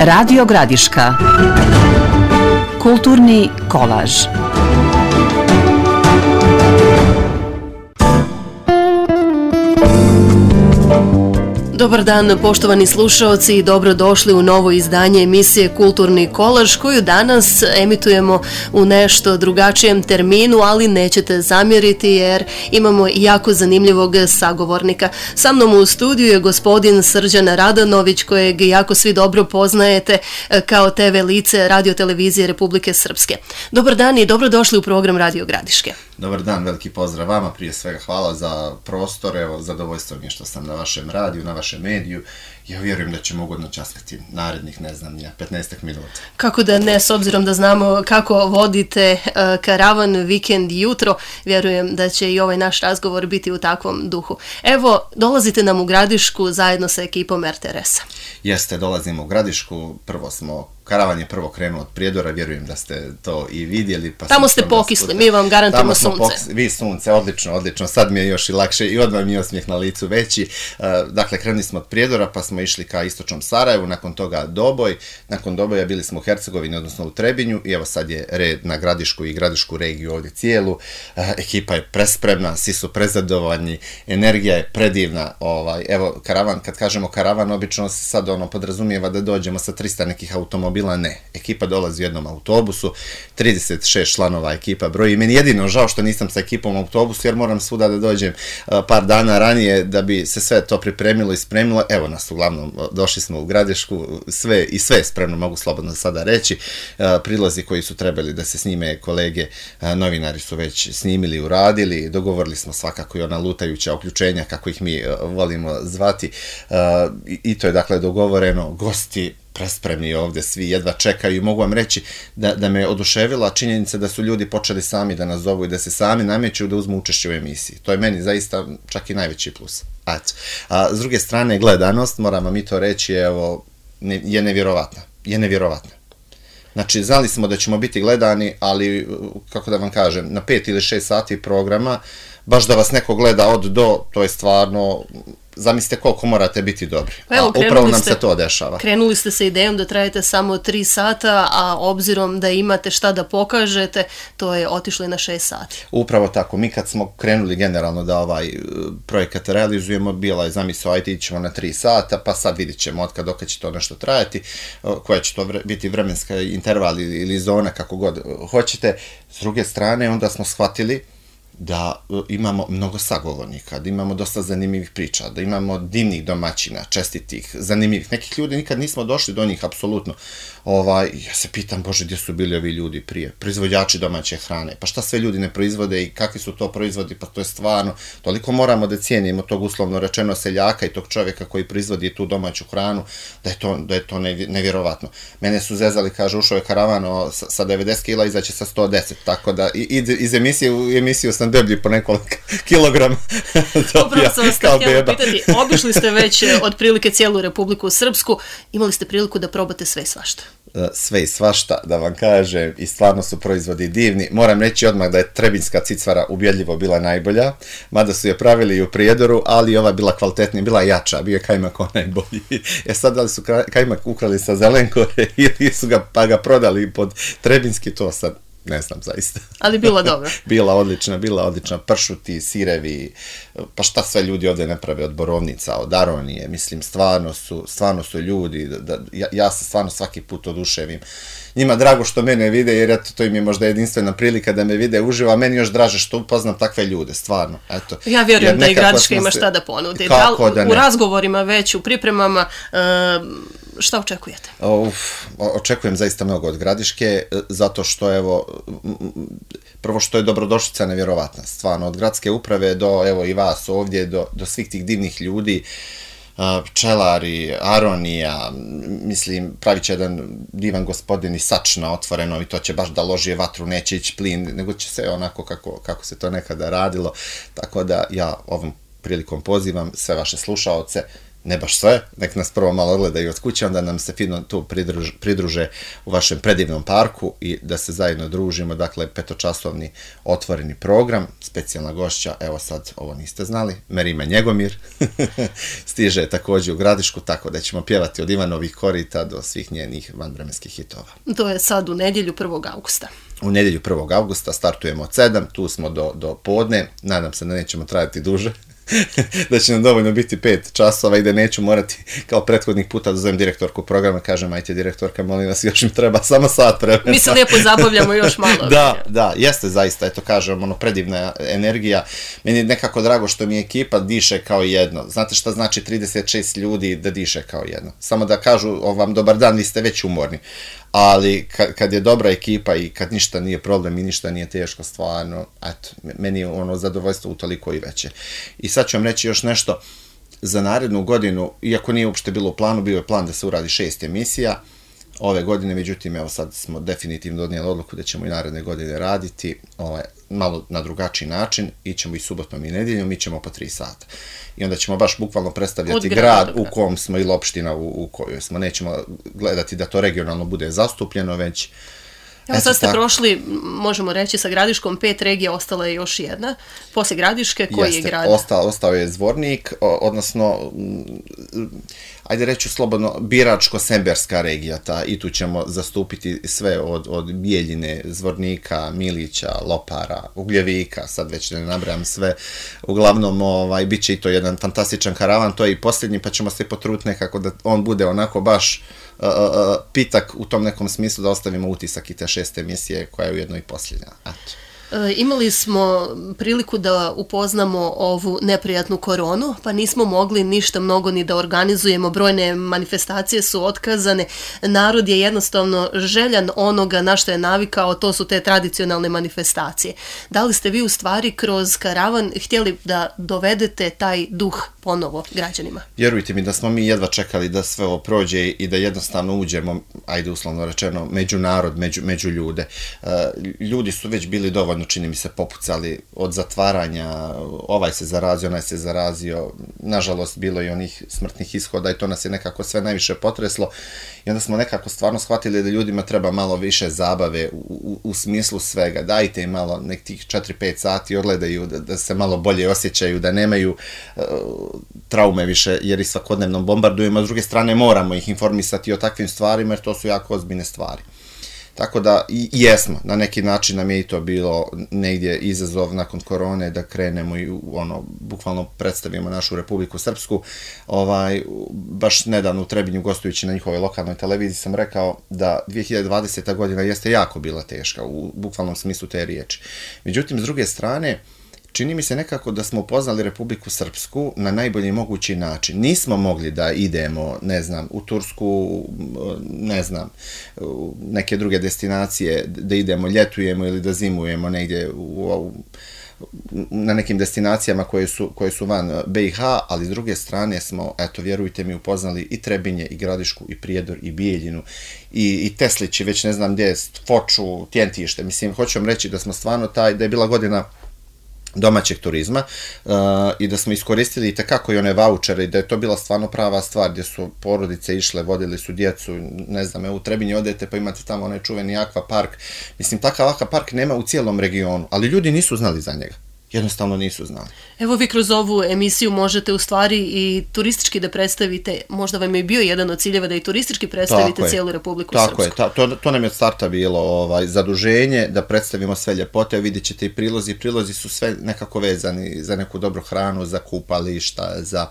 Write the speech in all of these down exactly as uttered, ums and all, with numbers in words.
Radio Gradiška. Kulturni kolaž. Dobar dan, poštovani slušaoci, i dobrodošli u novo izdanje emisije Kulturni kolaž, koju danas emitujemo u nešto drugačijem terminu, ali nećete zamjeriti jer imamo jako zanimljivog sagovornika. Sa mnom u studiju je gospodin Srđan Radanović, kojeg jako svi dobro poznajete kao te ve lice Radio-televizije Republike Srpske. Dobar dan i dobrodošli u program Radio Gradiške. Dobar dan, veliki pozdrav vama, prije svega hvala za prostor, evo, zadovoljstvo mi je što sam na vašem radiju, na vašem mediju. Ja vjerujem da ćemo ugodno časkati narednih, ne znam, ja, petnaestak minuta. Kako da ne, s obzirom da znamo kako vodite uh, karavan vikend jutro, vjerujem da će i ovaj naš razgovor biti u takvom duhu. Evo, dolazite nam u Gradišku zajedno sa ekipom er te er es a. Jeste, dolazimo u Gradišku, prvo smo, karavan je prvo krenuo od Prijedora, vjerujem da ste to i vidjeli. Pa tamo ste pokisli, mi vam garantujemo sunce. Pokisli, vi sunce, odlično, odlično, sad mi je još i lakše i odmah mi je osmijeh na licu veći. Uh, dakle, krenuli smo od Prijedora, pa smo išli ka istočnom Sarajevu, nakon toga Doboj, nakon Doboja bili smo u Hercegovini, odnosno u Trebinju, i evo sad je red na Gradišku i Gradišku regiju ovdje cijelu. Uh, ekipa je prespremna, svi su prezadovoljni, energija je predivna. Ovaj, evo, karavan, kad kažemo karavan, obično se sad ono podrazumijeva da dođemo sa trista nekih automobila, ne. Ekipa dolazi u jednom autobusu, trideset šest članova ekipa broji. Meni jedino žao što nisam sa ekipom u autobusu, jer moram svuda da dođem uh, par dana ranije da bi se sve to pripremilo i spremilo. Evo nas, uglavnom, došli smo u Gradišku, sve i sve je spremno, mogu slobodno sada reći. Uh, prilozi koji su trebali da se snime kolege, uh, novinari su već snimili, uradili, dogovorili smo svakako i ona lutajuća uključenja, kako ih mi uh, volimo zvati, uh, i, i to je dakle dogovoreno. Gosti prespremni ovdje, svi jedva čekaju, i mogu vam reći da, da me oduševila činjenica da su ljudi počeli sami da nas zovu i da se sami nameću da uzmu učešće u emisiji. To je meni zaista čak i najveći plus. A, a s druge strane, gledanost, moramo mi to reći, evo, ne, je nevjerovatna. Je nevjerovatna. Znači, znali smo da ćemo biti gledani, ali, kako da vam kažem, na pet ili šest sati programa, baš da vas neko gleda od do, to je stvarno, zamislite koliko morate biti dobri. Pa evo, a upravo nam ste, se to dešava. Krenuli ste sa idejom da trajete samo tri sata, a obzirom da imate šta da pokažete, to je otišlo na šest sati. Upravo tako. Mi kad smo krenuli generalno da ovaj projekat realizujemo, bila je zamisao, ajde ićemo na tri sata, pa sad vidit ćemo od kada će to nešto trajati, koja će to vre, biti vremenska interval ili, ili zona, kako god hoćete. S druge strane, onda smo shvatili da imamo mnogo sagovornika, da imamo dosta zanimljivih priča, da imamo divnih domaćina, čestitih, zanimljivih. Nekih ljudi nikad nismo došli do njih, apsolutno. Ovaj, ja se pitam, Bože, gdje su bili ovi ljudi prije? Proizvođači domaće hrane. Pa šta sve ljudi ne proizvode i kakvi su to proizvodi? Pa to je stvarno, toliko moramo da cijenimo tog uslovno rečeno seljaka i tog čovjeka koji proizvodi tu domaću hranu, da je to, da je to nevjerovatno. Mene su zezali, kaže, ušao je karavan sa, sa devedeset kila, izaće sa sto deset, tako da iz, iz emisije u emisiju sam deblji po nekoliko kilograma. Upravo sam vas htjela pitati, obišli ste već otprilike cijelu Republiku Srpsku, imali ste priliku da probate sve i svašta. Sve i svašta, da vam kažem, i stvarno su proizvodi divni. Moram reći odmah da je trebinjska cicvara ubjedljivo bila najbolja, mada su je pravili i u Prijedoru, ali ova bila kvalitetnija, bila jača, bio je kajmak onaj bolji. E sad, da li su kajmak ukrali sa Zelenkore ili su ga, pa ga prodali pod trebinjski, to sad ne znam zaista. Ali bila dobra. Bila odlična, bila odlična. Pršuti, sirevi, pa šta sve ljudi ovdje ne prave od borovnica, od aronije. Mislim, stvarno su, stvarno su ljudi, da, ja, ja se stvarno svaki put oduševim. Njima drago što mene vide, jer eto, to im je možda jedinstvena prilika da me vide uživo, a meni još draže što upoznam takve ljude, stvarno. Eto. Ja vjerujem da i Gradiška ima šta da ponudi. Kako da ne? U razgovorima već, u pripremama, uh, šta očekujete? Uf, očekujem zaista mnogo od Gradiške, zato što, evo, prvo što je dobrodošlica nevjerovatna, stvarno, od gradske uprave do, evo, i vas ovdje, do, do svih tih divnih ljudi, pčelari, aronija, mislim, pravit će jedan divan gospodin i sač na otvoreno i to će baš da ložije vatru, neće ići plin, nego će se onako kako, kako se to nekada radilo, tako da ja ovom prilikom pozivam sve vaše slušaoce, ne baš sve, nek nas prvo malo odgledaju od kuće, onda nam se fino tu pridruže, pridruže u vašem predivnom parku i da se zajedno družimo, dakle petočasovni otvoreni program, specijalna gošća, evo sad ovo niste znali, Merima Njegomir, stiže također u Gradišku, tako da ćemo pjevati od Ivanovih korita do svih njenih vanvremenskih hitova. To je sad u nedjelju prvog augusta. U nedjelju prvog augusta startujemo od sedam, tu smo do, do podne, nadam se da nećemo trajati duže, da će nam dovoljno biti pet časova i da neću morati kao prethodnih puta da zovem direktorku programa, kažem, ajte direktorka, molim vas, još im treba samo sat vremena. Mi se lijepo zabavljamo još malo. Da, da, jeste zaista, eto kažem, ono, predivna energija. Meni je nekako drago što mi ekipa diše kao jedno. Znate šta znači trideset šest ljudi da diše kao jedno? Samo da kažu o, vam dobar dan, vi ste već umorni. Ali kad, kad je dobra ekipa i kad ništa nije problem i ništa nije teško, stvarno, eto, meni je ono zadovoljstvo utoliko i veće. I sad ću vam reći još nešto za narednu godinu, iako nije uopšte bilo u planu, bio je plan da se uradi šest emisija ove godine, međutim, evo sad smo definitivno donijeli odluku da ćemo i naredne godine raditi ovaj, malo na drugačiji način, ićemo i subotom i nedjeljom, ićemo po tri sata. I onda ćemo baš bukvalno predstavljati grad u kom smo ili opština u, u kojoj smo. Nećemo gledati da to regionalno bude zastupljeno, već... Evo sad ste tako prošli, možemo reći, sa Gradiškom pet regija, ostala je još jedna. Poslije Gradiške, koji Jeste, je grad? Ostao, ostao je Zvornik, odnosno, ajde reću slobodno, Biračko-Semberska regija, ta, i tu ćemo zastupiti sve od, od Bijeljine, Zvornika, Milića, Lopara, Ugljevika, sad već ne nabrajam sve. Uglavnom, ovaj, bit će i to jedan fantastičan karavan, to je i posljednji, pa ćemo se potruditi nekako da on bude onako baš Uh, uh, pitak u tom nekom smislu da ostavimo utisak i te šeste emisije koja je ujedno i posljednja. Eto. E, imali smo priliku da upoznamo ovu neprijatnu koronu, pa nismo mogli ništa mnogo ni da organizujemo, brojne manifestacije su otkazane, narod je jednostavno željan onoga na što je navikao, to su te tradicionalne manifestacije. Da li ste vi u stvari kroz karavan htjeli da dovedete taj duh ponovo građanima? Vjerujte mi da smo mi jedva čekali da sve ovo prođe i da jednostavno uđemo, ajde uslovno rečeno, među narod, među, među ljude. Uh, ljudi su već bili dovoljno, čini mi se, popucali od zatvaranja, ovaj se zarazio, onaj se zarazio, nažalost bilo i onih smrtnih ishoda i to nas je nekako sve najviše potreslo i onda smo nekako stvarno shvatili da ljudima treba malo više zabave u, u, u smislu svega, dajte im malo nek tih četiri pet sati odgledaju, da, da se malo bolje osjećaju, da nemaju uh, traume više jer i svakodnevno bombardujemo, a s druge strane moramo ih informisati o takvim stvarima jer to su jako ozbiljne stvari. Tako da i jesmo, na neki način nam je i to bilo negdje izazov nakon korone da krenemo i ono, bukvalno predstavimo našu Republiku Srpsku. Ovaj, baš nedavno u Trebinju gostujući na njihovoj lokalnoj televiziji sam rekao da dvije hiljade dvadeseta godina jeste jako bila teška u bukvalnom smislu te riječi. Međutim, s druge strane, čini mi se nekako da smo upoznali Republiku Srpsku na najbolji mogući način. Nismo mogli da idemo, ne znam, u Tursku, ne znam, u neke druge destinacije, da idemo, ljetujemo ili da zimujemo negdje u, u, na nekim destinacijama koje su, koje su van B i H, ali s druge strane smo, eto, vjerujte mi, upoznali i Trebinje, i Gradišku, i Prijedor, i Bijeljinu, i, i Teslići, već ne znam gdje, Foču, Tjentište. Mislim, hoću vam reći da smo stvarno taj, da je bila godina domaćeg turizma uh, i da smo iskoristili i tekako i one vaučere i da je to bila stvarno prava stvar gdje su porodice išle, vodili su djecu, ne znam, evo u Trebinje odete pa imate tamo onaj čuveni akvapark. Mislim, takav akvapark nema u cijelom regionu, ali ljudi nisu znali za njega. Jednostavno nisu znali. Evo vi kroz ovu emisiju možete u stvari i turistički da predstavite, možda vam je bio jedan od ciljeva da i turistički predstavite tako cijelu Republiku tako Srpsku. Tako je, ta, to, to nam je od starta bilo ovaj, zaduženje da predstavimo sve ljepote, vidjet ćete i prilozi, prilozi su sve nekako vezani za neku dobru hranu, za kupališta, za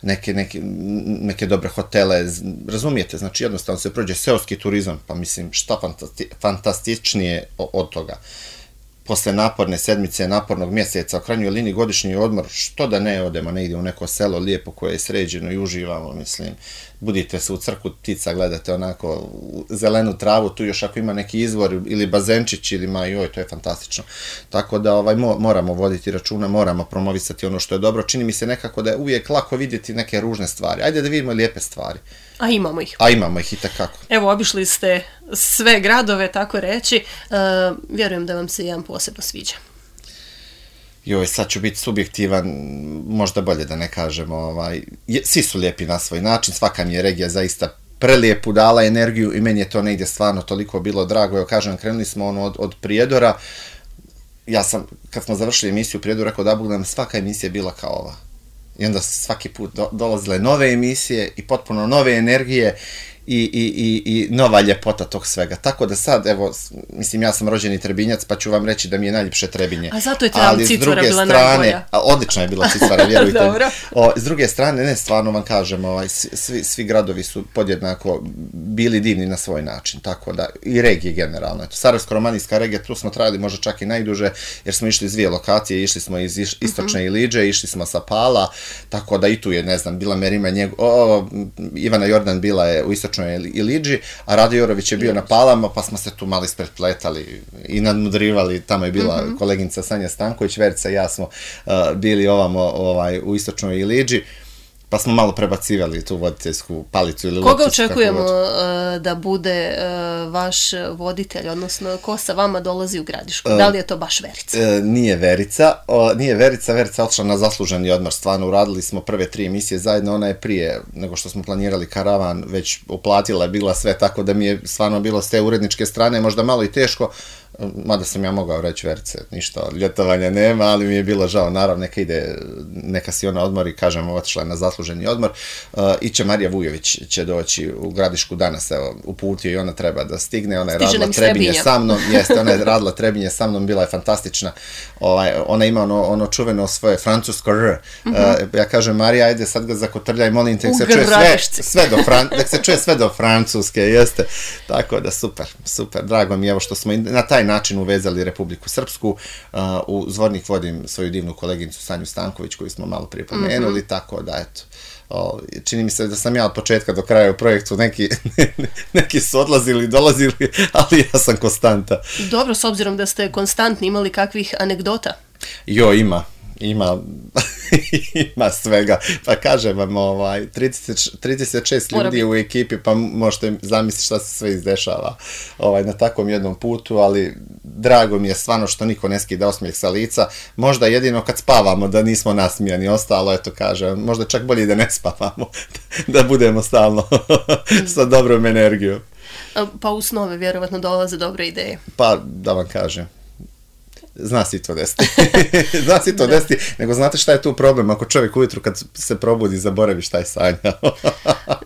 neke, neke, neke dobre hotele, razumijete, znači jednostavno se prođe seoski turizam, pa mislim šta fantasti, fantastičnije od toga. Posle naporne sedmice, napornog mjeseca, u krajnjoj liniji godišnji odmor, što da ne odemo negdje u neko selo lijepo koje je sređeno i uživamo, mislim, budite se u crku ptica, gledate onako zelenu travu, tu još ako ima neki izvor ili bazenčić ili ma joj, to je fantastično. Tako da ovaj, moramo voditi računa, moramo promovisati ono što je dobro. Čini mi se nekako da je uvijek lako vidjeti neke ružne stvari. Ajde da vidimo lijepe stvari. A imamo ih. A imamo ih i takako. Evo, obišli ste sve gradove, tako reći. Uh, vjerujem da vam se jedan posebno sviđa. Joj, sad ću biti subjektivan, možda bolje da ne kažem, ovaj, je, svi su lijepi na svoj način, svaka mi je regija zaista prelijepu dala energiju i meni je to negdje stvarno toliko bilo drago. Evo kažem, krenuli smo ono od, od Prijedora, ja sam, kad smo završili emisiju Prijedor, rekao da Bog nam svaka emisija je bila kao ova. I onda svaki put do, dolazile nove emisije i potpuno nove energije i, i, i, i nova ljepota tog svega. Tako da sad, evo, mislim, ja sam rođeni Trebinjac, pa ću vam reći da mi je najljepše Trebinje. A zato je ta Cicvara bila najbolja. A, odlična je bila Cicvara, vjerujte. O, s druge strane, ne, stvarno vam kažem, ovaj, svi, svi gradovi su podjednako bili divni na svoj način, tako da, i regije generalno. Eto, Sarajevsko-romanijska regija, tu smo trajali možda čak i najduže, jer smo išli iz dvije lokacije, išli smo iz istočne uh-huh. Iliđe, išli smo sa Pala, tako da i tu je, ne znam, bila Merima njeg... o, Ivana Jordan bila je u istočnoj Iliđi, a Rade Jorović je bio na Palama, pa smo se tu malo ispretpletali i nadmudrivali, tamo je bila mm-hmm. koleginica Sanja Stanković, Verica i ja smo uh, bili ovamo ovaj, u istočnoj Iliđi, pa smo malo prebacivali tu voditeljsku palicu ili koga lopticu, očekujemo uh, da bude uh, vaš voditelj, odnosno ko sa vama dolazi u Gradišku? Uh, da li je to baš Verica? Uh, nije Verica, uh, nije Verica, Verica otišla na zasluženi odmor, stvarno uradili smo prve tri emisije zajedno, ona je prije nego što smo planirali karavan, već uplatila je bila sve, tako da mi je stvarno bilo s te uredničke strane možda malo i teško, mada sam ja mogao reći Verice, ništa od ljetovanja nema, ali mi je bilo žao, naravno neka ide, neka si ona odmori, kažem, otišla je na zasluženi odmor. Uh, Iće Marija Vujović će doći u Gradišku danas, evo, uputio i ona treba da stigne, ona je Stiže radila Trebinje sa mnom, jeste, ona je radila Trebinje sa mnom, bila je fantastična, ovaj, ona ima ono, ono čuveno svoje francusko R, uh, uh, ja kažem, Marija, ajde sad ga zakotrljaj, molim te, se čuje sve, sve do Fran, da se čuje sve do francuske, jeste, tako da super, super, drago mi je evo što smo na taj način uvezali Republiku Srpsku, uh, u Zvornik vodim svoju divnu koleginicu Sanju Stanković koju smo malo prije pomenuli, mm-hmm. tako da eto, o, čini mi se da sam ja od početka do kraja u projektu, neki, neki su odlazili, dolazili, ali ja sam konstanta. Dobro, s obzirom da ste konstantni, imali kakvih anegdota? Jo, ima. Ima, ima svega, pa kažem vam, ovaj, trideset, trideset šest ljudi u ekipi, pa možete zamisliti šta se sve izdešava ovaj, na takvom jednom putu, ali drago mi je stvarno što niko ne skida osmijeh sa lica, možda jedino kad spavamo da nismo nasmijani, ostalo, eto kažem, možda čak bolje da ne spavamo, da budemo stalno sa dobrom energijom. Pa u snove vjerovatno dolaze dobre ideje. Pa da vam kažem. Zna si to desiti. Zna si to desiti, nego znate šta je tu problem ako čovjek ujutru kad se probudi zaboravi šta je sanjao.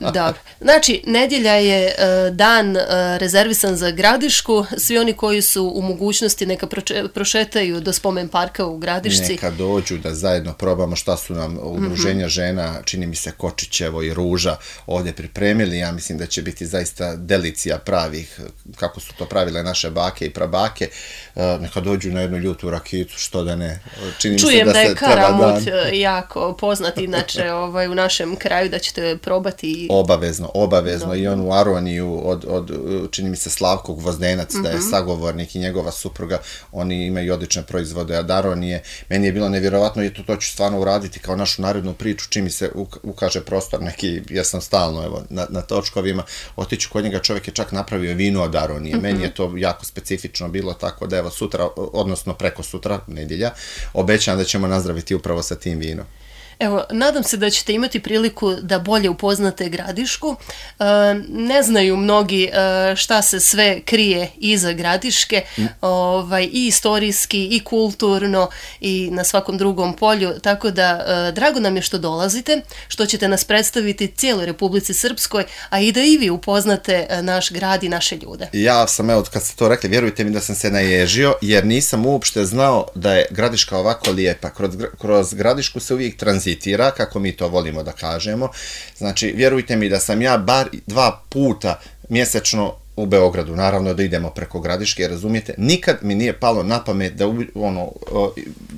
Dobro. Znači, nedjelja je uh, dan uh, rezervisan za Gradišku. Svi oni koji su u mogućnosti neka proče, prošetaju do spomen parka u Gradišci. Neka dođu da zajedno probamo šta su nam udruženja mm-hmm. žena, čini mi se Kočićevo i Ruža ovdje pripremili. Ja mislim da će biti zaista delicija pravih, kako su to pravile naše bake i prabake. Uh, neka dođu na jednu ljutu rakicu, što da ne. Čini Čujem mi se da, da je se karamut dan... jako poznat, inače ovaj, u našem kraju, da ćete probati. Obavezno, obavezno. Dobro. I on u Aroniju od, od, čini mi se Slavko Gvozdenac, mm-hmm. da je sagovornik i njegova supruga, oni imaju odlične proizvode od Aronije. Meni je bilo nevjerovatno i to, to ću stvarno uraditi kao našu narednu priču, čim mi se ukaže prostor neki, ja sam stalno evo, na, na točkovima, otiću kod njega, čovjek je čak napravio vino od Aronije. Mm-hmm. Meni je to jako specifično bilo, tako da evo sutra, odnosno preko sutra, nedjelja, obećam da ćemo nazdraviti upravo sa tim vinom. Evo, nadam se da ćete imati priliku da bolje upoznate Gradišku. E, ne znaju mnogi e, šta se sve krije iza Gradiške, mm. ovaj, i istorijski, i kulturno, i na svakom drugom polju, tako da e, drago nam je što dolazite, što ćete nas predstaviti cijeloj Republici Srpskoj, a i da i vi upoznate naš grad i naše ljude. Ja sam, evo, kad ste to rekli, vjerujte mi da sam se naježio, jer nisam uopšte znao da je Gradiška ovako lijepa. Kroz, kroz Gradišku se uvijek tranzitira, kako mi to volimo da kažemo. Znači, vjerujte mi da sam ja bar dva puta mjesečno u Beogradu, naravno da idemo preko Gradiške, razumijete, nikad mi nije palo na pamet da ono,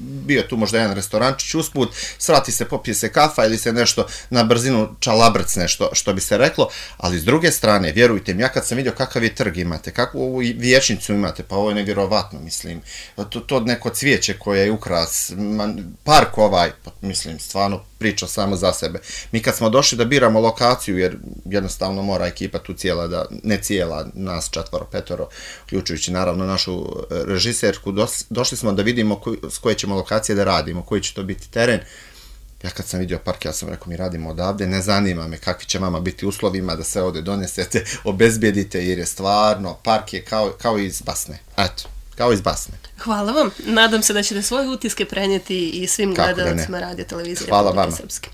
bio tu možda jedan restorančić usput, svrati se, popije se kafa ili se nešto na brzinu čalabrc nešto, što bi se reklo, ali s druge strane, vjerujte mi, ja kad sam vidio kakav je trg imate, kakvu ovu vijećnicu imate, pa ovo je nevjerovatno, mislim, to, to neko cvijeće koje je ukras, park ovaj, pa, mislim, stvarno priča samo za sebe. Mi kad smo došli da biramo lokaciju, jer jednostavno mora ekipa tu cijela, da, ne cijela, nas četvoro, petoro, uključujući naravno našu režiserku, dos, došli smo da vidimo koj, s koje ćemo lokacije da radimo, koji će to biti teren. Ja kad sam vidio park, ja sam rekao, mi radimo odavde, ne zanima me kakvi će vama biti uslovima da se ovdje donesete, obezbijedite, jer je stvarno, park je kao, kao iz basne. Eto, kao iz basne. Hvala vam. Nadam se da ćete svoje utiske prenijeti i svim gledalcima Radio Televizije Republike Srpske.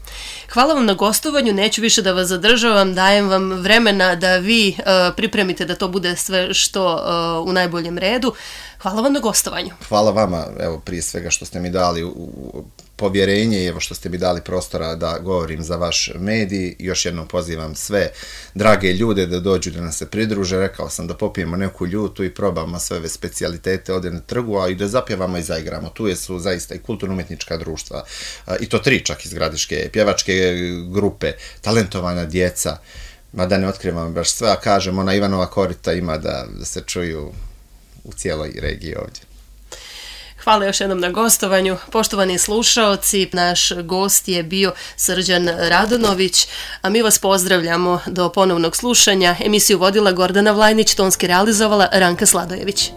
Hvala vam na gostovanju, neću više da vas zadržavam, dajem vam vremena da vi uh, pripremite da to bude sve što uh, u najboljem redu. Hvala vam na gostovanju. Hvala vama, evo, prije svega što ste mi dali u, u povjerenje i evo što ste mi dali prostora da govorim za vaš medij. Još jednom pozivam sve drage ljude da dođu da nas se pridruže. Rekao sam da popijemo neku ljutu i probamo sve ove specijalitete ovdje na trgu, a i da zapjevamo i zaigramo. Tu su zaista i kulturno-umjetnička društva, i to tri čak iz Gradiške, pjevačke grupe, talentovana djeca, ma da ne otkrivam baš sve, a kažem, ona Ivanova korita ima da, da se čuju u cijeloj regiji ovdje. Hvala još jednom na gostovanju. Poštovani slušaoci, naš gost je bio Srđan Radonović, a mi vas pozdravljamo do ponovnog slušanja. Emisiju vodila Gordana Vlajnić, tonski realizovala Ranka Sladojević.